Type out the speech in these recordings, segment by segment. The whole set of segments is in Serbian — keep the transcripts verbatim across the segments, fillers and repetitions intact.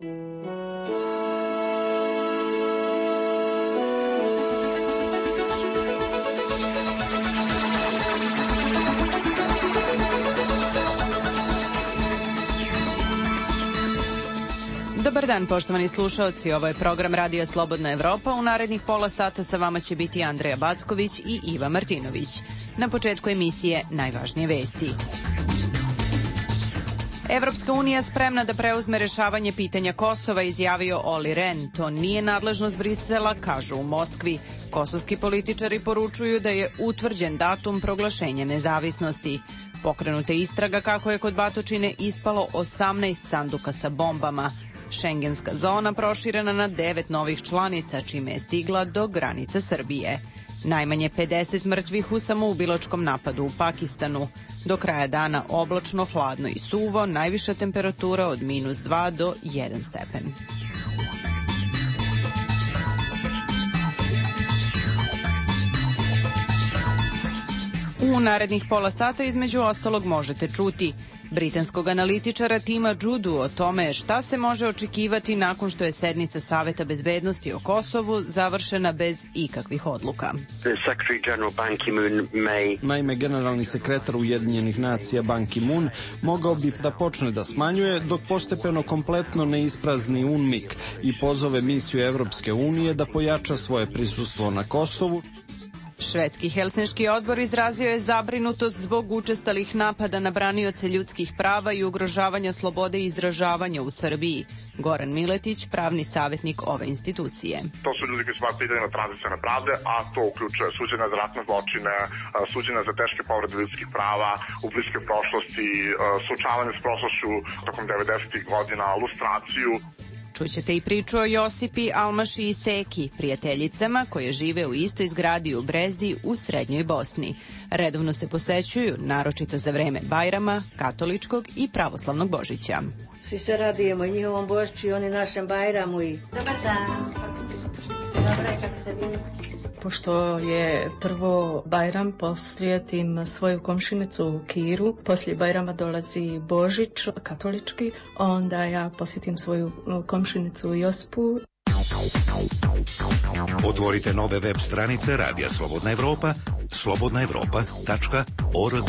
Dobar dan, poštovani slušaoci, ovo je program Radija Slobodna Evropa. U narednih pola sata sa vama će biti Andreja Backović i Iva Martinović. Na početku emisije najvažnije vesti. Evropska unija spremna da preuzme rešavanje pitanja Kosova, izjavio Olli Rehn. To nije nadležnost Brisela, kažu u Moskvi. Kosovski političari poručuju da je utvrđen datum proglašenja nezavisnosti. Pokrenuta istraga kako je kod Batočine ispalo osamnaest sanduka sa bombama. Šengenska zona proširena na devet novih članica, čime je stigla do granica Srbije. Najmanje pedeset mrtvih u samoubilačkom napadu u Pakistanu. Do kraja dana oblačno, hladno i suvo, najviša temperatura od minus dva do jedan stepen. U narednih pola sata između ostalog možete čuti britanskog analitičara Tima Judu o tome šta se može očekivati nakon što je sednica Saveta bezbednosti o Kosovu završena bez ikakvih odluka. Naime, generalni sekretar Ujedinjenih nacija Ban Ki-moon mogao bi da počne da smanjuje dok postepeno kompletno ne isprazni U N M I K i pozove misiju Evropske unije da pojača svoje prisustvo na Kosovu. Švedski Helsinški odbor izrazio je zabrinutost zbog učestalih napada na branioce ljudskih prava i ugrožavanja slobode izražavanja u Srbiji. Goran Miletić, pravni savjetnik ove institucije. To su ljudi koji su imali pitanje na tranzicione pravde, a to uključuje suđenja za ratne zločine, suđenja za teške povrede ljudskih prava u bliskoj prošlosti, suočavanje s prošlošću tokom devedesetih godina, lustraciju. Čućete i priču o Josipi, Almaši i Seki, prijateljicama koje žive u istoj zgradi u Brezdi u Srednjoj Bosni. Redovno se posećuju, naročito za vreme Bajrama, katoličkog i pravoslavnog Božića. Svi se radujemo njihovom Božiću i oni našem Bajramu. I... Dobar dan. Dobar je, kako ste bili? Pošto je prvo Bajram, poslijetim svoju komšinicu Kiru, poslije Bajrama dolazi Božić, katolički, onda ja posjetim svoju komšinicu Josipu. Otvorite nove web stranice Radija Slobodna Evropa, slobodna evropa tačka org.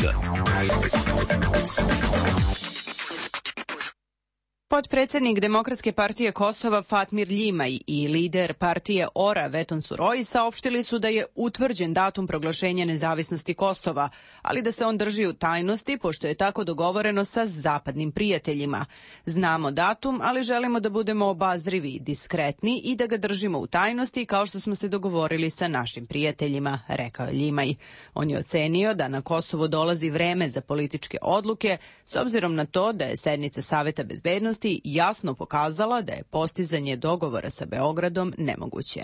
Potpredsednik Demokratske partije Kosova Fatmir Ljimaj i lider partije O R A Veton Suroi saopštili su da je utvrđen datum proglašenja nezavisnosti Kosova, ali da se on drži u tajnosti pošto je tako dogovoreno sa zapadnim prijateljima. Znamo datum, ali želimo da budemo obazrivi, diskretni i da ga držimo u tajnosti kao što smo se dogovorili sa našim prijateljima, rekao je Ljimaj. On je ocenio da na Kosovo dolazi vreme za političke odluke s obzirom na to da je sednica Saveta bezbednosti jasno pokazala da je postizanje dogovora sa Beogradom nemoguće.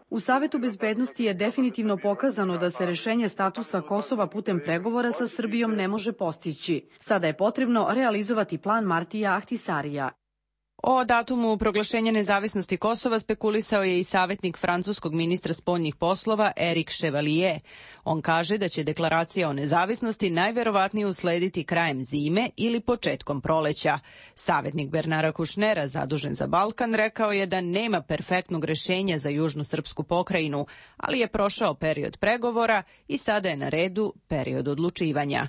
U Savetu bezbednosti je definitivno pokazano da se rešenje statusa Kosova putem pregovora sa Srbijom ne može postići. Sada je potrebno realizovati plan Martija Ahtisarija. O datumu proglašenja nezavisnosti Kosova spekulisao je i savjetnik francuskog ministra spoljnih poslova Eric Chevalier. On kaže da će deklaracija o nezavisnosti najverovatnije uslediti krajem zime ili početkom proleća. Savjetnik Bernara Kušnera, zadužen za Balkan, rekao je da nema perfektnog rešenja za južnu srpsku pokrajinu, ali je prošao period pregovora i sada je na redu period odlučivanja.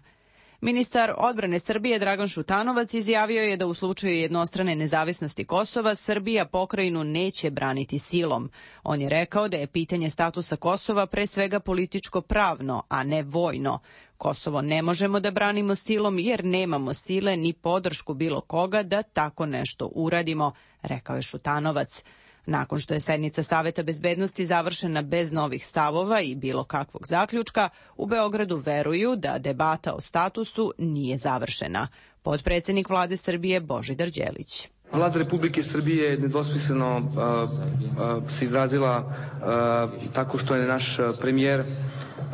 Ministar odbrane Srbije Dragan Šutanovac izjavio je da u slučaju jednostrane nezavisnosti Kosova Srbija pokrajinu neće braniti silom. On je rekao da je pitanje statusa Kosova pre svega političko-pravno, a ne vojno. Kosovo ne možemo da branimo silom jer nemamo sile ni podršku bilo koga da tako nešto uradimo, rekao je Šutanovac. Nakon što je sednica Saveta bezbednosti završena bez novih stavova i bilo kakvog zaključka, u Beogradu veruju da debata o statusu nije završena. Potpredsednik vlade Srbije Božidar Đelić. Vlada Republike Srbije je nedvosmisleno uh, uh, se izrazila uh, tako što je naš premijer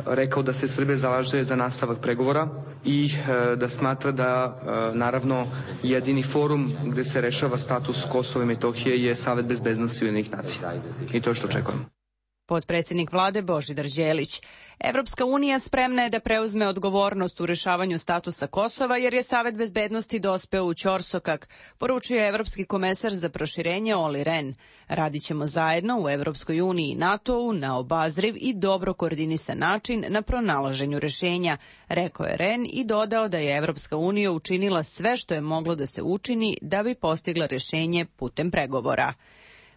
rekao da se Srbija zalaže za nastavak pregovora i uh, da smatra da uh, naravno jedini forum gde se rešava status Kosova i Metohije je Savet bezbednosti Ujedinjenih nacija. I to je što očekujemo. Potpredsjednik vlade Božidar Đelić. Evropska unija spremna je da preuzme odgovornost u rešavanju statusa Kosova jer je Savet bezbednosti dospeo u ćorsokak, poručuje evropski komesar za proširenje Olli Rehn. Radit ćemo zajedno u Evropskoj uniji i NATO-u na obazriv i dobro koordinisan način na pronalaženju rešenja, rekao je Rehn i dodao da je Evropska unija učinila sve što je moglo da se učini da bi postigla rešenje putem pregovora.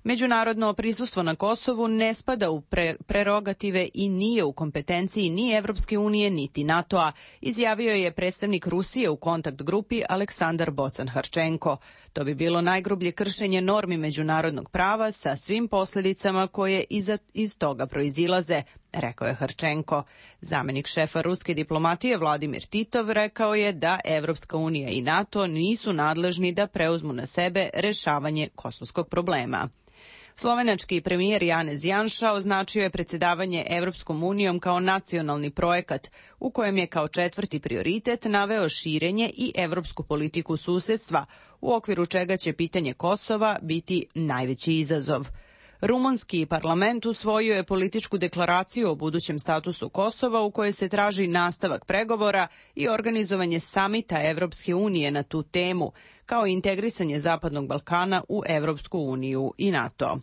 Međunarodno prisustvo na Kosovu ne spada u pre prerogative i nije u kompetenciji ni Evropske unije niti NATO-a, izjavio je predstavnik Rusije u kontakt grupi Aleksandar Bocan-Harčenko. To bi bilo najgrublje kršenje normi međunarodnog prava sa svim posljedicama koje iza, iz toga proizilaze, rekao je Harčenko. Zamenik šefa ruske diplomatije Vladimir Titov rekao je da Evropska unija i NATO nisu nadležni da preuzmu na sebe rešavanje kosovskog problema. Slovenački premijer Janez Janša označio je predsjedavanje Evropskom unijom kao nacionalni projekat, u kojem je kao četvrti prioritet naveo širenje i evropsku politiku susedstva, u okviru čega će pitanje Kosova biti najveći izazov. Rumunski parlament usvojio je političku deklaraciju o budućem statusu Kosova u kojoj se traži nastavak pregovora i organizovanje samita Evropske unije na tu temu, kao i integrisanje Zapadnog Balkana u Evropsku uniju i NATO.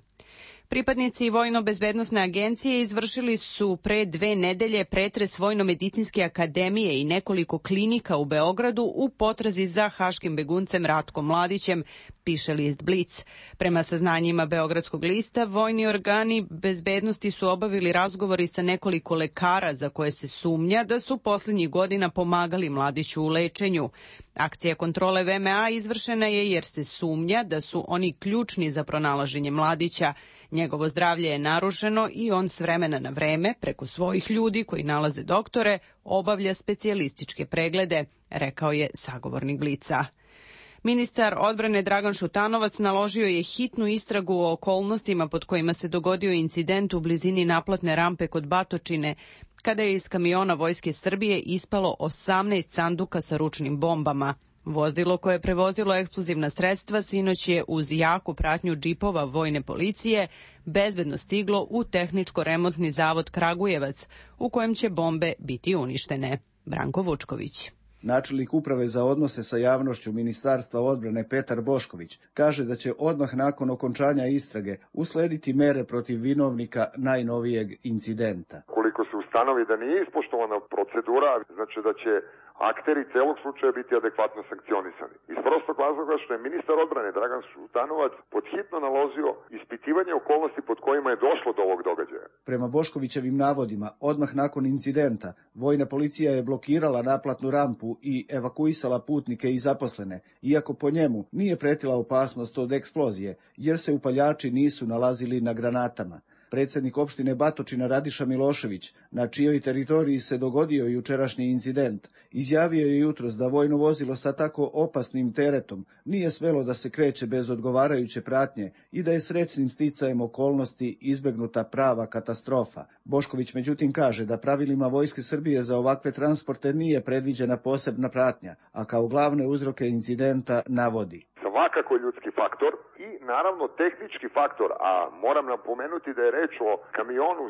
Pripadnici Vojno-bezbednosne agencije izvršili su pre dve nedelje pretres Vojno-medicinske akademije i nekoliko klinika u Beogradu u potrazi za haškim beguncem Ratkom Mladićem, piše list Blic. Prema saznanjima Beogradskog lista, vojni organi bezbednosti su obavili razgovori sa nekoliko lekara za koje se sumnja da su poslednjih godina pomagali Mladiću u lečenju. Akcija kontrole V M A izvršena je jer se sumnja da su oni ključni za pronalaženje Mladića. Njegovo zdravlje je narušeno i on s vremena na vreme, preko svojih ljudi koji nalaze doktore, obavlja specijalističke preglede, rekao je sagovornik Blica. Ministar odbrane Dragan Šutanovac naložio je hitnu istragu o okolnostima pod kojima se dogodio incident u blizini naplatne rampe kod Batočine, kada je iz kamiona Vojske Srbije ispalo osamnaest sanduka sa ručnim bombama. Vozilo koje je prevozilo eksplozivna sredstva sinoć je uz jaku pratnju džipova vojne policije bezbedno stiglo u tehničko-remontni zavod Kragujevac, u kojem će bombe biti uništene. Branko Vučković. Načelnik uprave za odnose sa javnošću Ministarstva odbrane Petar Bošković kaže da će odmah nakon okončanja istrage uslediti mere protiv vinovnika najnovijeg incidenta. Koliko se ustanovi da nije ispoštovana procedura, znači da će akteri celog slučaja biti adekvatno sankcionisani. Iz prostog razloga što je ministar odbrane Dragan Šutanovac podhitno naložio ispitivanje okolnosti pod kojima je došlo do ovog događaja. Prema Boškovićevim navodima, odmah nakon incidenta, vojna policija je blokirala naplatnu rampu i evakuisala putnike i zaposlene, iako po njemu nije pretila opasnost od eksplozije, jer se upaljači nisu nalazili na granatama. Predsjednik opštine Batočina Radiša Milošević, na čijoj teritoriji se dogodio jučerašnji incident, izjavio je jutros da vojno vozilo sa tako opasnim teretom nije smelo da se kreće bez odgovarajuće pratnje i da je srećnim sticajem okolnosti izbegnuta prava katastrofa. Bošković međutim kaže da pravilima Vojske Srbije za ovakve transporte nije predviđena posebna pratnja, a kao glavne uzroke incidenta navodi: svakako ljudski faktor i naravno tehnički faktor, a moram napomenuti da je reč o kamionu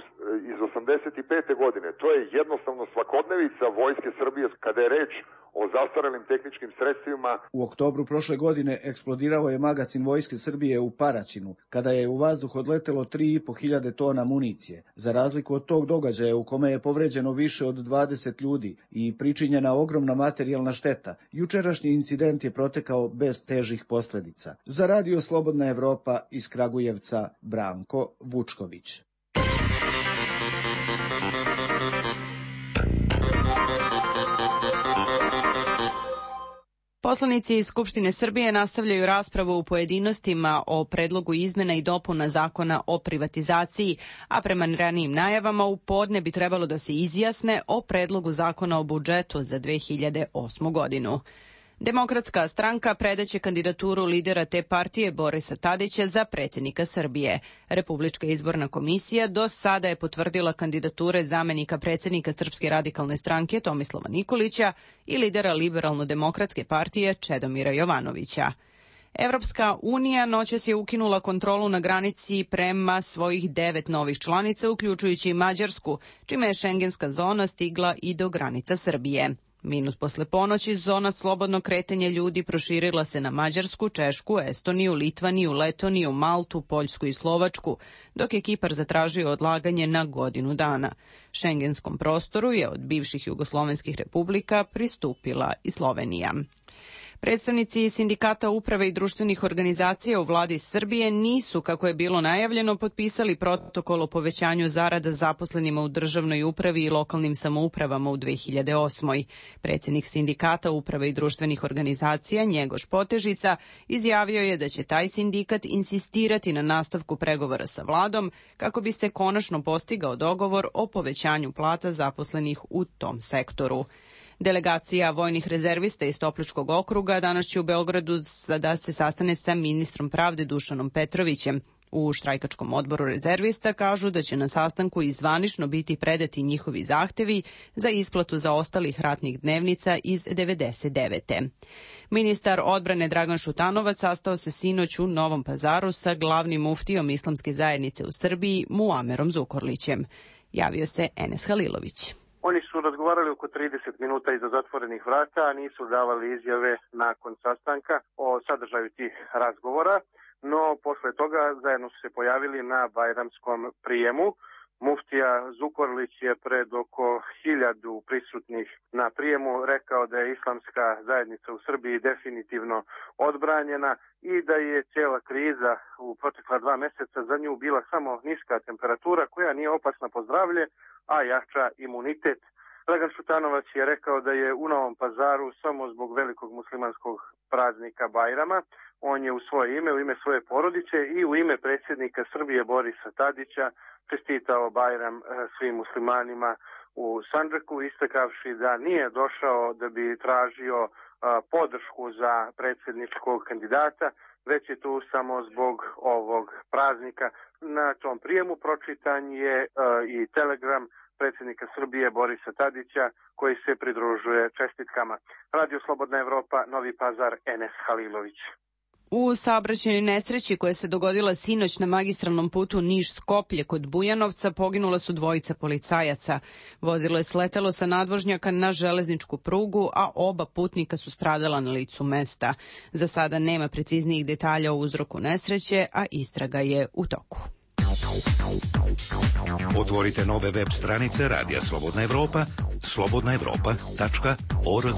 iz osamdeset pete godine. To je jednostavno svakodnevica Vojske Srbije kada je reč o zastarelim tehničkim sredstvima. U oktobru prošle godine eksplodirao je magacin Vojske Srbije u Paraćinu, kada je u vazduh odletelo tri i po hiljade tona municije. Za razliku od tog događaja u kome je povređeno više od dvadeset ljudi i pričinjena ogromna materijalna šteta, jučerašnji incident je protekao bez težih posljedica. Za Radio Slobodna Evropa iz Kragujevca, Branko Vučković. Poslanici iz Skupštine Srbije nastavljaju raspravu u pojedinostima o predlogu izmena i dopuna zakona o privatizaciji, a prema ranijim najavama u podne bi trebalo da se izjasne o predlogu zakona o budžetu za dve hiljade osmu godinu. Demokratska stranka predaće kandidaturu lidera te partije Borisa Tadića za predsjednika Srbije. Republička izborna komisija do sada je potvrdila kandidature zamenika predsjednika Srpske radikalne stranke Tomislava Nikolića i lidera Liberalno-demokratske partije Čedomira Jovanovića. Evropska unija noćas je ukinula kontrolu na granici prema svojih devet novih članica, uključujući i Mađarsku, čime je šengenska zona stigla i do granica Srbije. Minut posle ponoći zona slobodnog kretanja ljudi proširila se na Mađarsku, Češku, Estoniju, Litvaniju, Letoniju, Maltu, Poljsku i Slovačku, dok je Kipar zatražio odlaganje na godinu dana. Šengenskom prostoru je od bivših jugoslovenskih republika pristupila i Slovenija. Predstavnici sindikata uprave i društvenih organizacija u vladi Srbije nisu, kako je bilo najavljeno, potpisali protokol o povećanju zarada zaposlenima u državnoj upravi i lokalnim samoupravama u dve hiljade osmoj. Predsjednik sindikata uprave i društvenih organizacija Njegoš Potežica izjavio je da će taj sindikat insistirati na nastavku pregovora sa vladom kako bi se konačno postigao dogovor o povećanju plata zaposlenih u tom sektoru. Delegacija vojnih rezervista iz Topličkog okruga danas će u Beogradu da se sastane sa ministrom pravde Dušanom Petrovićem. U štrajkačkom odboru rezervista kažu da će na sastanku i zvanično biti predati njihovi zahtevi za isplatu zaostalih ratnih dnevnica iz devedeset devete. Ministar odbrane Dragan Šutanovac sastao se sinoć u Novom Pazaru sa glavnim muftijom islamske zajednice u Srbiji Muamerom Zukorlićem. Javio se Enes Halilović. Oni su razgovarali oko trideset minuta iza zatvorenih vrata, a nisu davali izjave nakon sastanka o sadržaju tih razgovora, no posle toga zajedno su se pojavili na bajramskom prijemu. Muftija Zukorlić je pred oko hiljadu prisutnih na prijemu rekao da je islamska zajednica u Srbiji definitivno odbranjena i da je cijela kriza u protekla dva meseca za nju bila samo niska temperatura koja nije opasna po zdravlje, a jača imunitet. Dragan Šutanovac je rekao da je u Novom Pazaru samo zbog velikog muslimanskog praznika Bajrama. On je u svoje ime, u ime svoje porodice i u ime predsjednika Srbije Borisa Tadića čestitao Bajram svim muslimanima u Sandžaku, istakavši da nije došao da bi tražio podršku za predsjedničkog kandidata, već je tu samo zbog ovog praznika. Na tom prijemu pročitan je i telegram predsjednika Srbije Borisa Tadića koji se pridružuje čestitkama. Radio Slobodna Evropa, Novi Pazar, Enes Halilović. U saobraćajnoj nesreći koja se dogodila sinoć na magistralnom putu Niš-Skoplje kod Bujanovca poginula su dvojica policajaca. Vozilo je sletelo sa nadvožnjaka na železničku prugu, a oba putnika su stradala na licu mesta. Za sada nema preciznijih detalja o uzroku nesreće, a istraga je u toku. Otvorite nove web stranice Radija Slobodna Evropa, slobodna evropa tačka org.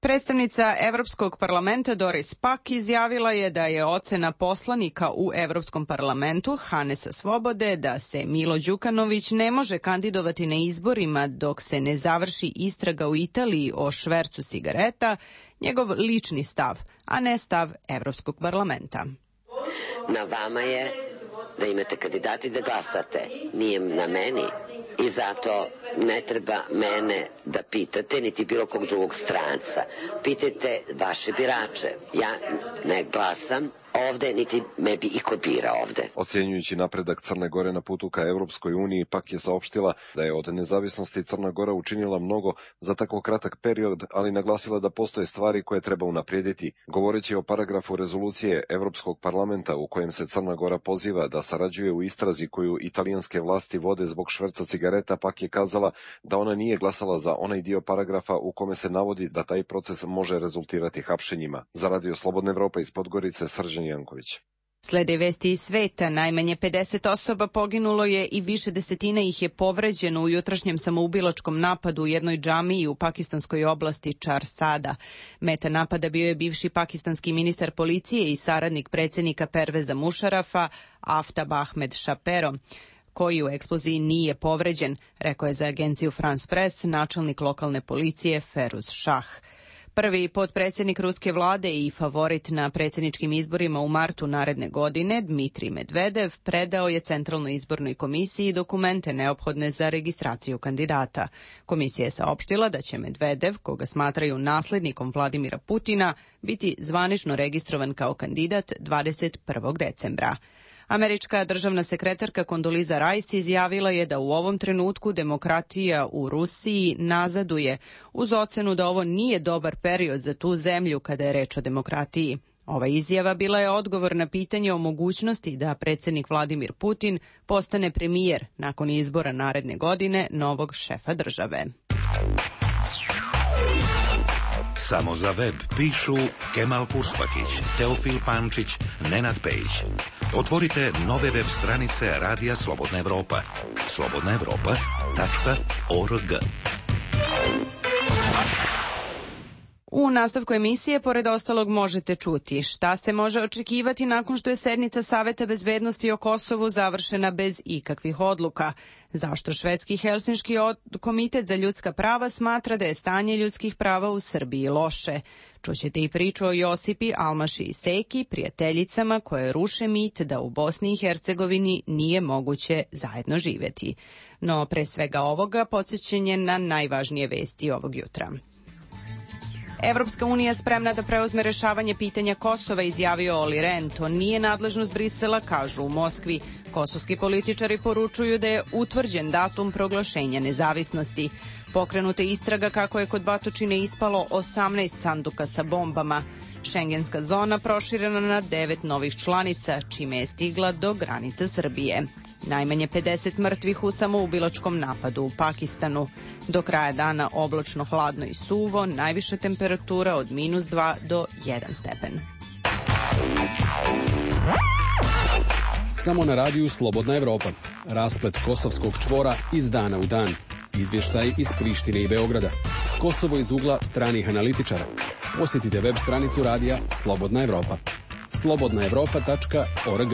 Predstavnica Evropskog parlamenta Doris Pack izjavila je da je ocena poslanika u Evropskom parlamentu Hanesa Svobode da se Milo Đukanović ne može kandidovati na izborima dok se ne završi istraga u Italiji o švercu cigareta, njegov lični stav, a ne stav Evropskog parlamenta. Na vama je da imate kandidati da glasate, nije na meni. I zato ne treba mene da pitate, niti bilo kog drugog stranca. Pitajte vaše birače. Ja ne glasam ovde, niti me bi iko bira ovde. Ocjenjujući napredak Crne Gore na putu ka Evropskoj uniji, Pak je saopštila da je od nezavisnosti Crna Gora učinila mnogo za tako kratak period, ali naglasila da postoje stvari koje treba unaprijediti. Govoreći o paragrafu rezolucije Evropskog parlamenta u kojem se Crna Gora poziva da sarađuje u istrazi koju italijanske vlasti vode zbog šverca cigareta, Pak je kazala da ona nije glasala za onaj dio paragrafa u kome se navodi da taj proces može rezultirati hapšenjima. Za Radio Slobodna Evropa iz Podgorice, Srđan Janković. Slede vesti iz sveta, najmanje pedeset osoba poginulo je i više desetina ih je povređeno u jutrašnjem samoubilačkom napadu u jednoj džamiji u pakistanskoj oblasti Čar-Sada. Meta napada bio je bivši pakistanski ministar policije i saradnik predsjednika Perveza Mušarafa, Aftab Ahmed Šapero, koji u eksploziji nije povređen, rekao je za agenciju France Press načelnik lokalne policije Feruz Šah. Prvi potpredsjednik ruske vlade i favorit na predsjedničkim izborima u martu naredne godine, Dmitrij Medvedev, predao je Centralnoj izbornoj komisiji dokumente neophodne za registraciju kandidata. Komisija je saopštila da će Medvedev, koga smatraju naslednikom Vladimira Putina, biti zvanično registrovan kao kandidat dvadeset prvog decembra. Američka državna sekretarka Kondoliza Rice izjavila je da u ovom trenutku demokratija u Rusiji nazaduje, uz ocenu da ovo nije dobar period za tu zemlju kada je reč o demokratiji. Ova izjava bila je odgovor na pitanje o mogućnosti da predsjednik Vladimir Putin postane premijer nakon izbora naredne godine novog šefa države. Samo za web pišu Kemal Kurspakić, Teofil Pančić, Nenad Pejić. Otvorite nove web stranice Radija Slobodna Evropa. slobodna evropa tačka org. U nastavku emisije, pored ostalog, možete čuti šta se može očekivati nakon što je sednica Saveta bezbednosti o Kosovu završena bez ikakvih odluka, zašto švedski Helsinški komitet za ljudska prava smatra da je stanje ljudskih prava u Srbiji loše. Čućete i priču o Josipi, Almaši i Seki, prijateljicama koje ruše mit da u Bosni i Hercegovini nije moguće zajedno živjeti. No, pre svega ovoga, podsjećanje na najvažnije vesti ovog jutra. Evropska unija spremna da preuzme rešavanje pitanja Kosova, izjavio Olli Rehn. To nije nadležnost Brisela, kažu u Moskvi. Kosovski političari poručuju da je utvrđen datum proglašenja nezavisnosti. Pokrenuta istraga kako je kod Batočine ispalo osamnaest sanduka sa bombama. Šengenska zona proširena na devet novih članica, čime je stigla do granica Srbije. Najmanje pedeset mrtvih u samoubilačkom napadu u Pakistanu. Do kraja dana oblačno, hladno i suvo, najviša temperatura od minus dva do jedan stepen. Samo na radiju Slobodna Evropa. Rasplet kosovskog čvora iz dana u dan. Izvještaj iz Prištine i Beograda. Kosovo iz ugla stranih analitičara. Posjetite web stranicu radija Slobodna Evropa. slobodna evropa tačka org.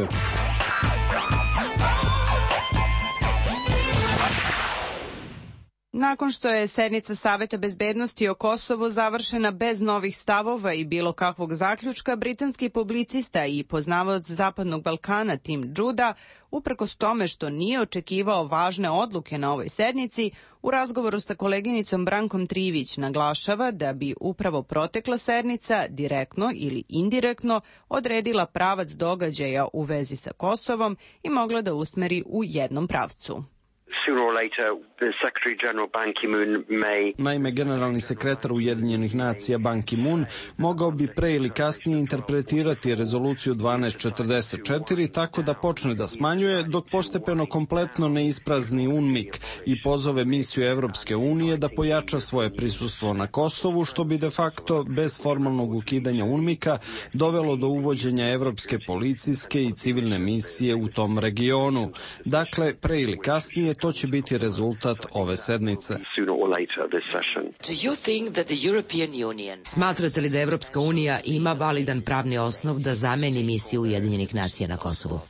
Nakon što je sednica Saveta bezbednosti o Kosovu završena bez novih stavova i bilo kakvog zaključka, britanski publicista i poznavaoc Zapadnog Balkana Tim Judah, uprkos tome što nije očekivao važne odluke na ovoj sednici, u razgovoru sa koleginicom Brankom Trivić naglašava da bi upravo protekla sednica direktno ili indirektno odredila pravac događaja u vezi sa Kosovom i mogla da usmeri u jednom pravcu. Naime, generalni sekretar Ujedinjenih nacija Ban Ki-moon mogao bi pre ili kasnije interpretirati rezoluciju dvanaest četrdeset četiri tako da počne da smanjuje, dok postepeno kompletno ne isprazni UNMIK i pozove misiju Evropske unije da pojača svoje prisustvo na Kosovu, što bi de facto bez formalnog ukidanja UNMIK-a dovelo do uvođenja evropske policijske i civilne misije u tom regionu. Dakle, pre ili kasnije to će biti rezultat ove sednice. Smatrate li da Evropska unija ima validan pravni osnov da zameni misiju Ujedinjenih nacija na Kosovu?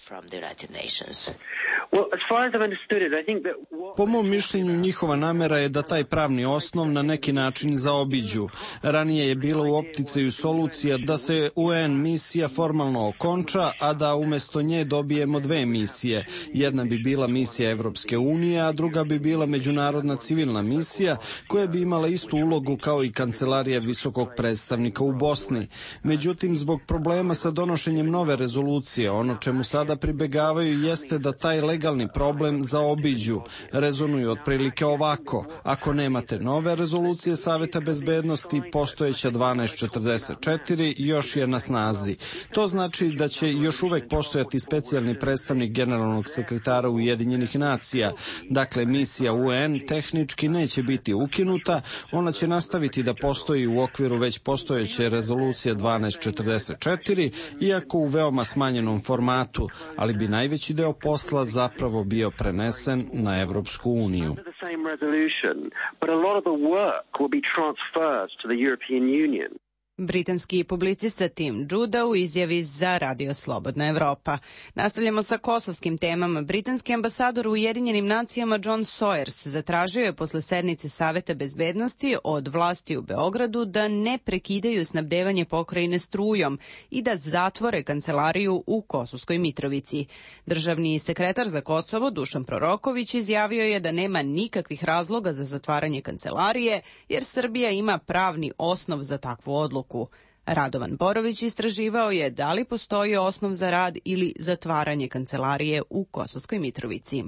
Po mom mišljenju, njihova namera je da taj pravni osnov na neki način zaobiđu. Ranije je bila u opticaju solucija da se U N misija formalno okonča, a da umjesto nje dobijemo dve misije. Jedna bi bila misija Evropske unije, a druga bi bila međunarodna civilna misija koja bi imala istu ulogu kao i kancelarija visokog predstavnika u Bosni. Međutim, zbog problema sa donošenjem nove rezolucije, ono čemu sada pribegavaju jeste da taj legalni problem zaobiđu. Rezonuju otprilike ovako: ako nemate nove rezolucije Saveta bezbednosti, postojeća dvanaest četrdeset četiri još je na snazi. To znači da će još uvek postojati specijalni predstavnik generalnog sekretara Ujedinjenih nacija. Dakle, misija U N tehnički neće biti ukinuta, ona će nastaviti da postoji u okviru već postojeće rezolucije dvanaest četrdeset četiri, iako u veoma smanjenom formatu, ali bi najveći deo posla zapravo bio prenesen na Evropsku uniju. Britanski publicista Tim Judah u izjavi za Radio Slobodna Evropa. Nastavljamo sa kosovskim temama. Britanski ambasador u Ujedinjenim nacijama John Sawyers zatražio je posle sednice Saveta bezbednosti od vlasti u Beogradu da ne prekidaju snabdevanje pokrajine strujom i da zatvore kancelariju u Kosovskoj Mitrovici. Državni sekretar za Kosovo Dušan Proroković izjavio je da nema nikakvih razloga za zatvaranje kancelarije, jer Srbija ima pravni osnov za takvu odluku. Radovan Borović istraživao je da li postoji osnov za rad ili zatvaranje kancelarije u Kosovskoj Mitrovici.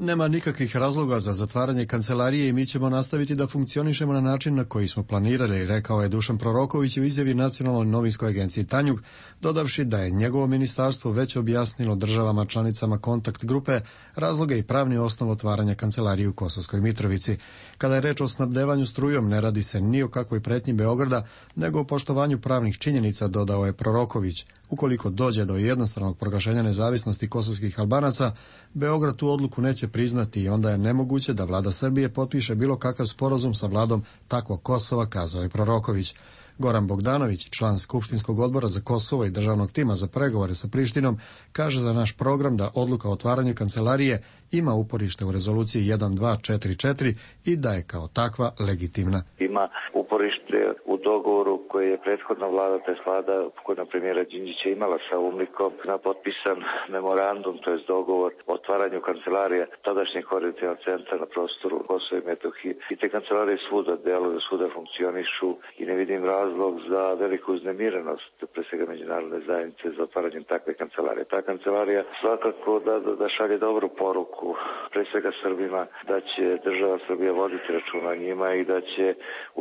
Nema nikakvih razloga za zatvaranje kancelarije i mi ćemo nastaviti da funkcionišemo na način na koji smo planirali, rekao je Dušan Proroković u izjavi Nacionalnoj novinskoj agenciji Tanjug, dodavši da je njegovo ministarstvo već objasnilo državama članicama kontakt grupe razloge i pravni osnov otvaranja kancelarije u Kosovskoj Mitrovici. Kada je reč o snabdevanju strujom, ne radi se ni o kakvoj pretnji Beograda, nego o poštovanju pravnih činjenica, dodao je Proroković. Ukoliko dođe do jednostranog proglašenja nezavisnosti kosovskih Albanaca, Beograd tu odluku neće priznati i onda je nemoguće da vlada Srbije potpiše bilo kakav sporazum sa vladom takvog Kosova, kazao je Proroković. Goran Bogdanović, član Skupštinskog odbora za Kosovo i državnog tima za pregovore sa Prištinom, kaže za naš program da odluka o otvaranju kancelarije ima uporište u rezoluciji jedan dva četiri četiri i da je kao takva legitimna. Ima uporište u dogovoru koji je prethodna vlada, to je vlada pokojna premijera Đinđića imala sa UNMIK-om na potpisan memorandum, to je dogovor o otvaranju kancelarije tadašnjeg koordinacionog centra na prostoru Kosova i Metohije. I te kancelarije svuda deluju, svuda funkcionišu i ne vidim razlog za veliku uznemirenost, pre svega međunarodne zajednice, za otvaranjem takve kancelarije. Ta kancelarija svakako da, da, da šalje dobru poruku, pre svega Srbima, da će država Srbija voditi računa o njima i da će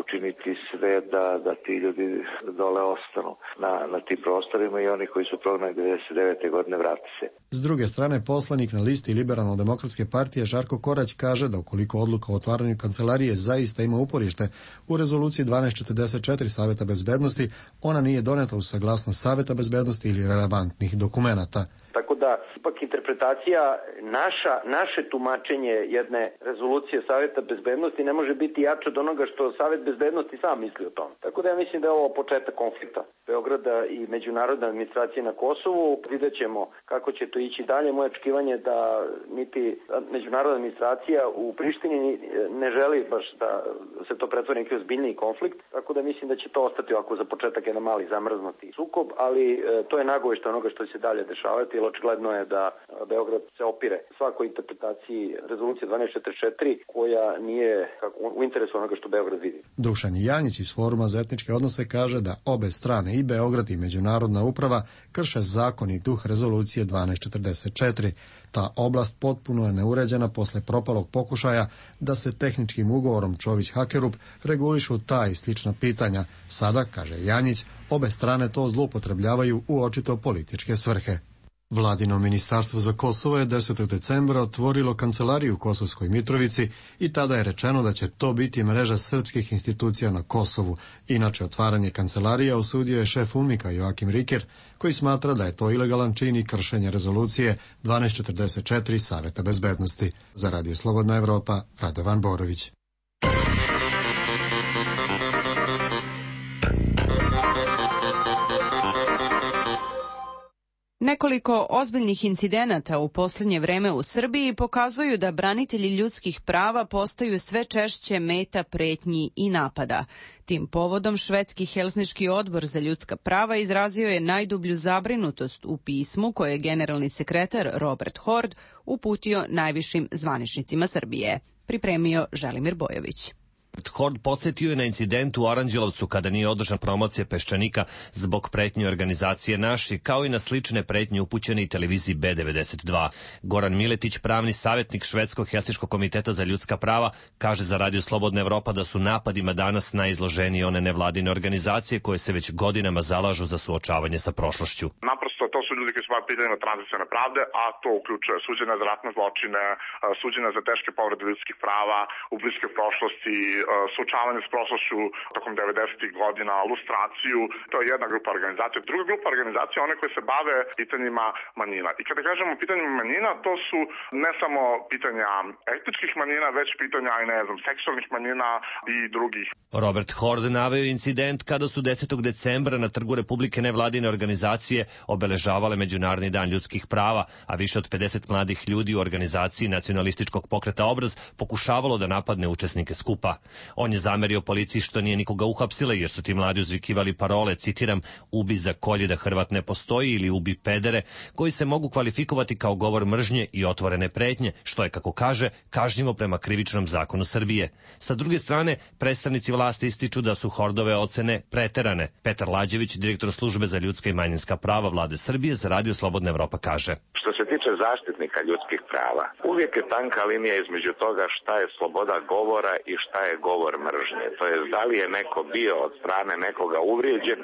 učiniti sve da, da ti ljudi dole ostanu na, na tim prostorima i oni koji su prognani devedeset devete godine vrati se. S druge strane, poslanik na listi Liberalno-demokratske partije Žarko Korać kaže da ukoliko odluka o otvaranju kancelarije zaista ima uporište u rezoluciji dvanaest četrdeset četiri Saveta bezbednosti, ona nije doneta uz saglasnost Saveta bezbednosti ili relevantnih dokumenata. Tako da, ipak interpretacija, naša, naše tumačenje jedne rezolucije Saveta bezbednosti ne može biti jače od onoga što Savet bezbednosti sam misli o tom. Tako da ja mislim da je ovo početak konflikta Beograda i međunarodne administracije na Kosovu. Vidjet ćemo kako će to ići dalje. Moje očekivanje je da niti međunarodna administracija u Prištini ne želi baš da se to pretvori neki ozbiljniji konflikt. Tako da mislim da će to ostati ovako za početak jedan mali zamrznuti sukob, ali to je nagovešta onoga što će se dalje dešavati. Očigledno je da Beograd se opire svakoj interpretaciji rezolucije dvanaest četrdeset četiri koja nije u interesu onoga što Beograd vidi. Dušan Janjić iz Foruma za etničke odnose kaže da obe strane, i Beograd i međunarodna uprava, krše zakon i duh rezolucije dvanaest četrdeset četiri. Ta oblast potpuno je neuređena posle propalog pokušaja da se tehničkim ugovorom Čović-Hakerup regulišu ta i slična pitanja. Sada, kaže Janjić, obe strane to zloupotrebljavaju u očito političke svrhe. Vladino ministarstvo za Kosovo je desetog decembra otvorilo kancelariju u Kosovskoj Mitrovici i tada je rečeno da će to biti mreža srpskih institucija na Kosovu. Inače, otvaranje kancelarije osudio je šef UNMIK-a Joakim Riker, koji smatra da je to ilegalan čin i kršenje rezolucije dvanaest četrdeset četiri Saveta bezbednosti. Za Radio Slobodna Evropa, Radovan Borović. Nekoliko ozbiljnih incidenata u posljednje vreme u Srbiji pokazuju da branitelji ljudskih prava postaju sve češće meta pretnji i napada. Tim povodom švedski Helsinški odbor za ljudska prava izrazio je najdublju zabrinutost u pismu koje je generalni sekretar Robert Hord uputio najvišim zvaničnicima Srbije. Pripremio Želimir Bojović. Hord podsjetio je na incident u Aranđelovcu kada nije održan promocija Peščanika zbog pretnje organizacije Naši, kao i na slične pretnje upućene i televiziji B devedeset dva. Goran Miletić, pravni savjetnik Švedskog Helsinškog komiteta za ljudska prava, kaže za Radio Slobodna Evropa da su napadima danas najizloženije one nevladine organizacije koje se već godinama zalažu za suočavanje sa prošlošću. Naprosto to su ljudi koji se bave pitanjima tranzicione pravde, a to uključuje suđenja za ratne zločine, suđenja za teške povrede ljudskih prava u bliskoj prošlosti, suočavanje s prošlošću tokom devedesetih godina, lustraciju. To je jedna grupa organizacija. Druga grupa organizacija, one koje se bave pitanjima manjina. I kada kažemo pitanjima manjina, to su ne samo pitanja etničkih manjina, već pitanja i ne znam, seksualnih manjina i drugih. Robert Hord naveo incident kada su desetog decembra na Trgu Republike nevladine organizacije obeležavale Međunarodni dan ljudskih prava, a više od pedeset mladih ljudi u organizaciji nacionalističkog pokreta Obraz pokušavalo da napadne učesnike skupa. On je zamerio policiji što nije nikoga uhapsila jer su ti mladi uzvikivali parole, citiram, ubi za kolje da Hrvat ne postoji ili ubi pedere, koji se mogu kvalifikovati kao govor mržnje i otvorene pretnje, što je, kako kaže, kažnjivo prema krivičnom zakonu Srbije. Sa druge strane, predstavnici vlasti ističu da su Hordove ocene preterane. Petar Lađević, direktor službe za ljudska i manjinska prava vlade Srbije, za Radio Slobodna Evropa kaže: Što se tiče zaštitnika ljudskih prava, uvijek je tanka linija između toga šta je sloboda govora i šta je govor mržnje. To je da li je neko bio od strane nekoga uvrijeđen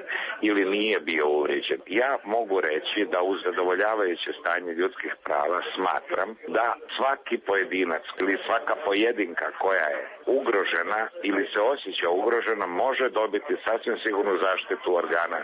ili nije bio uvrijeđen. Ja mogu reći da uz zadovoljavajuće stanje ljudskih prava smatram da svaki pojedinac ili svaka pojedinka koja je ugrožena ili se osjeća ugrožena može dobiti sasvim sigurnu zaštitu organa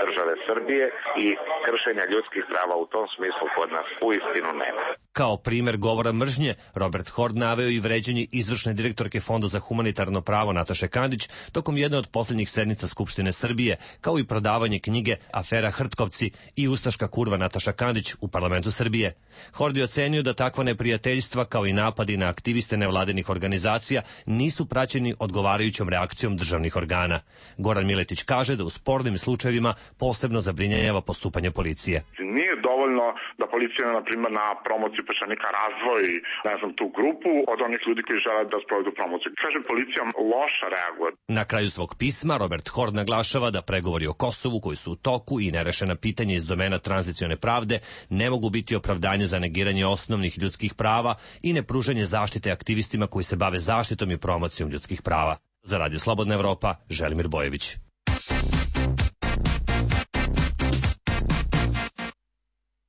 države Srbije i kršenja ljudskih prava u tom smislu kod nas uistinu nema. Kao primer govora mržnje, Robert Hord naveo i vređanje izvršne direktorke Fonda za humanitarno pravo Nataše Kandić tokom jedne od posljednjih sednica Skupštine Srbije, kao i prodavanje knjige Afera Hrtkovci i ustaška kurva Nataša Kandić u parlamentu Srbije. Hord je ocenio da takva neprijateljstva, kao i napadi na aktiviste nevladinih organizacija, nisu praćeni odgovarajućom reakcijom državnih organa. Goran Miletić kaže da u spornim slučajevima posebno zabrinjava postupanje policije. Nije dovoljno da policija, na primjer, na promociju peščanika razdvoji, ne znam, tu grupu od onih ljudi koji žele da sprovedu promociju. Kažem, policija loša reaguje. Na kraju svog pisma Robert Hord naglašava da pregovori o Kosovu koji su u toku i nerešena pitanja iz domena tranzicione pravde ne mogu biti opravdanje za negiranje osnovnih ljudskih prava i nepružanje zaštite aktivistima koji se bave zaštitom i promocijom ljudskih prava. Za Radio Slobodna Evropa, Želimir Bojević.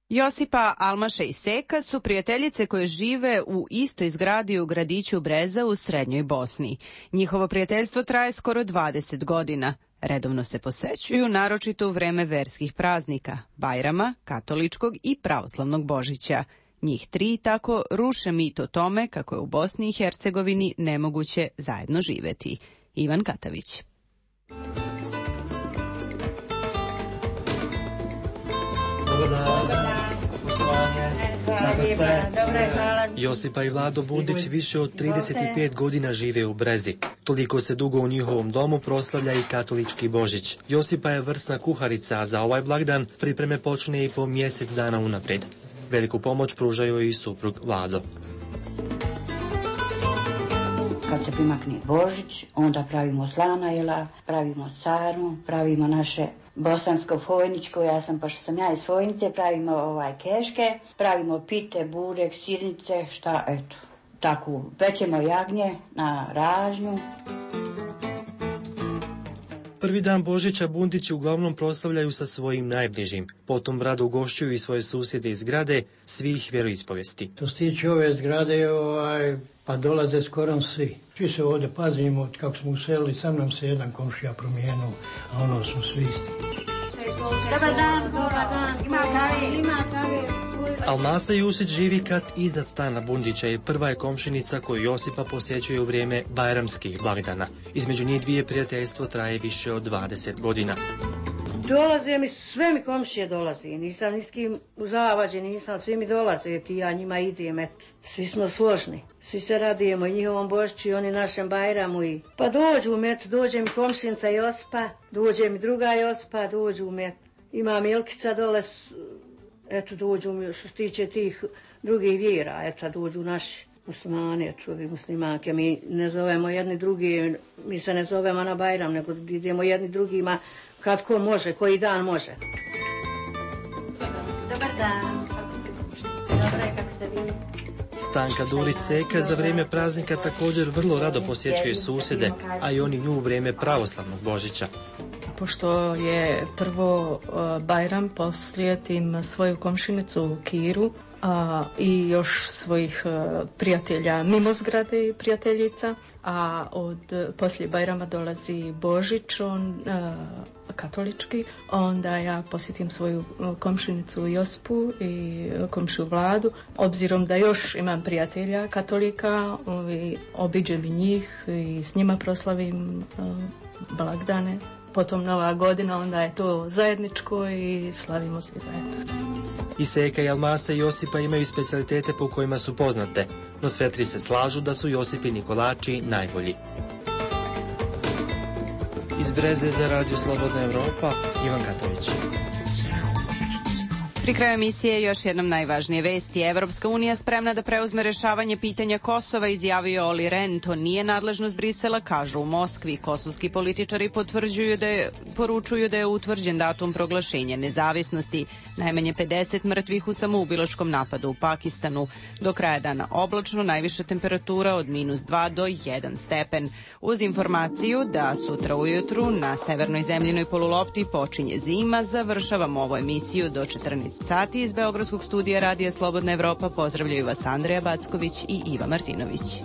Josipa, Almaša i Seka su prijateljice koje žive u istoj zgradi u gradiću Breza u Srednjoj Bosni. Njihovo prijateljstvo traje skoro dvadeset godina. Redovno se posećuju, naročito u vreme verskih praznika, Bajrama, katoličkog i pravoslavnog Božića. Njih tri tako ruše mit o tome kako je u Bosni i Hercegovini nemoguće zajedno živeti. Ivan Katavić. Kako ste? Josipa i Vlado Bundić više od trideset pet godina žive u Brezi. Toliko se dugo u njihovom domu proslavlja i katolički Božić. Josipa je vrsna kuharica, a za ovaj blagdan pripreme počne i po mjesec dana unaprijed. Veliku pomoć pružaju i suprug Vlado. Kad se primakne Božić, onda pravimo slana jela, pravimo sarmu, pravimo naše bosansko-fojničko, ja sam, pošto sam ja iz Fojnice, pravimo ovaj keške, pravimo pite, burek, sirnice, šta, eto, tako, pečemo jagnje na ražnju. Prvi dan Božića Bundići uglavnom proslavljaju sa svojim najbližim. Potom rado ugošćuju i svoje susjede iz zgrade svih vjeroispovesti. To se tiče ove zgrade, ovaj, pa dolaze skoro svi. Svi se ovdje pazimo, kako smo uselili, sam nam se jedan komšija promijenuo, a ono smo svi isti. Dobar dan, dobar dan, ima kave, ima kave. Almasa Jusić živi kat iznad stana Bundića i prva je komšinica koju Josipa posjećuje u vrijeme bajramskih blagdana. Između njih dvije prijateljstvo traje više od dvadeset godina. Dolaze mi, sve mi komšije dolaze, nisam ni s kim u zavađe, nisam, svi mi dolaze, ti ja njima idem, eto. Svi smo složni, svi se radijemo i njihovom Božiću i oni našem Bajramu i... Pa dođu mi, eto, dođe mi komšinica Josipa, dođe mi druga Josipa, dođu mi, eto. Ima Milkica dole, eto, dođu mi, što se tiče tih drugih vjera, eto, dođu naši muslimani, eto, ovi muslimanke, mi ne zovemo jedni drugi, mi se ne zovemo na Bajram, nego idemo jedni drugima kad ko može, koji dan može. Dobar dan. Dobro je, kako ste vi? Stanka Durić-Seka za vrijeme praznika također vrlo rado posjećuje susjede, a i oni nju u vrijeme pravoslavnog Božića. Pošto je prvo Bajram, poslijetim svoju komšinicu Kiru, a, i još svojih a, prijatelja mimo zgrade i prijateljica, a od poslije Bajrama dolazi Božić, on a, katolički, onda ja posjetim svoju komšinicu Josipu i komšiju Vladu. Obzirom da još imam prijatelja katolika, i obiđem i njih i s njima proslavim a, blagdane. Potom Nova godina, onda je to zajedničko i slavimo svi zajedno. I Seka i Almasa i Josipa imaju specijalitete po kojima su poznate, no sve tri se slažu da su Josipini kolači najbolji. Iz Breze za Radio Slobodna Evropa, Ivan Katović. Pri kraju emisije još jednom najvažnije vesti. Evropska unija spremna da preuzme rešavanje pitanja Kosova, izjavio Oli Ren. To nije nadležnost Brisela, kažu u Moskvi. Kosovski političari potvrđuju da je, poručuju da je utvrđen datum proglašenja nezavisnosti. Najmanje pedeset mrtvih u samoubilačkom napadu u Pakistanu. Do kraja dana oblačno, najviša temperatura od minus dva do jedan stepen. Uz informaciju da sutra ujutru na severnoj zemljinoj polulopti počinje zima, završavamo ovu emisiju do četrnaest sati. Iz Beogradskog studija Radija Slobodna Evropa pozdravljaju vas Andreja Backović i Iva Martinović.